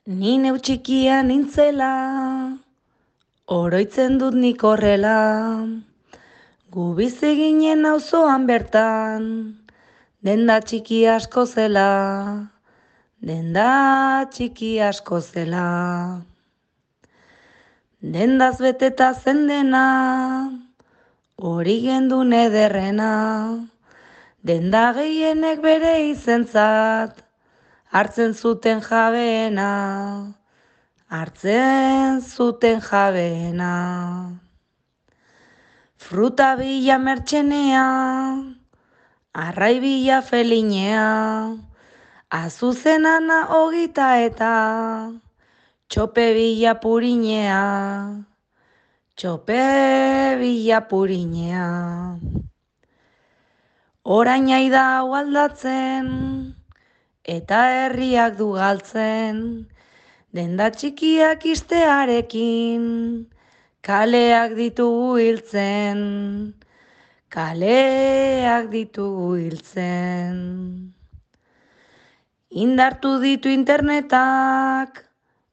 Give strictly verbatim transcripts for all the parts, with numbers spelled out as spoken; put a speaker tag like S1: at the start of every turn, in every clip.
S1: Ni neu txikia nintzela, oroitzen dut nik horrela, gu bizi ginen auzoan bertan, denda txiki asko zela, denda txiki asko zela. Dendaz beteta zen dena, hori gendun ederrena, denda gehienek bere izentzat, hartzen zuten jabeena, hartzen zuten jabeena. Fruta bila mertxenea, arrai bila felinea, azuzenana hogita eta, txope bila purinea, txope bila purinea. Orain aida hau aldatzen, eta herriak du galtzen, denda txikiak istearekin, kaleak ditugu hiltzen, kaleak ditugu hiltzen. Indartu ditu internetak,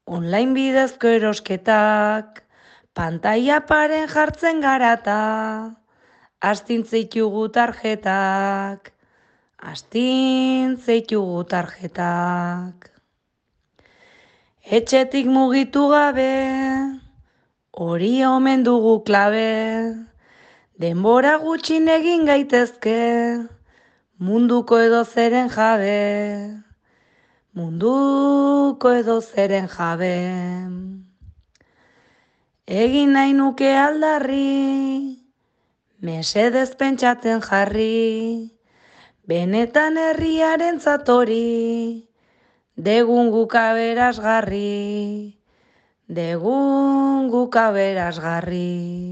S1: online bidezko erosketak, pantaila paren jartzen garata, astintzeitugu tarjetak, astintzeitugu tarjetak. Etxetik mugitu gabe, hori omen dugu klabe, denbora gutxin egin gaitezke, munduko edo zeren jabe, munduko edo zeren jabe. Egin nahi nuke aldarri, mesedez pentsatzen jarri, benetan herriaren zatori, degun guk aberasgarri, degun guk aberasgarri.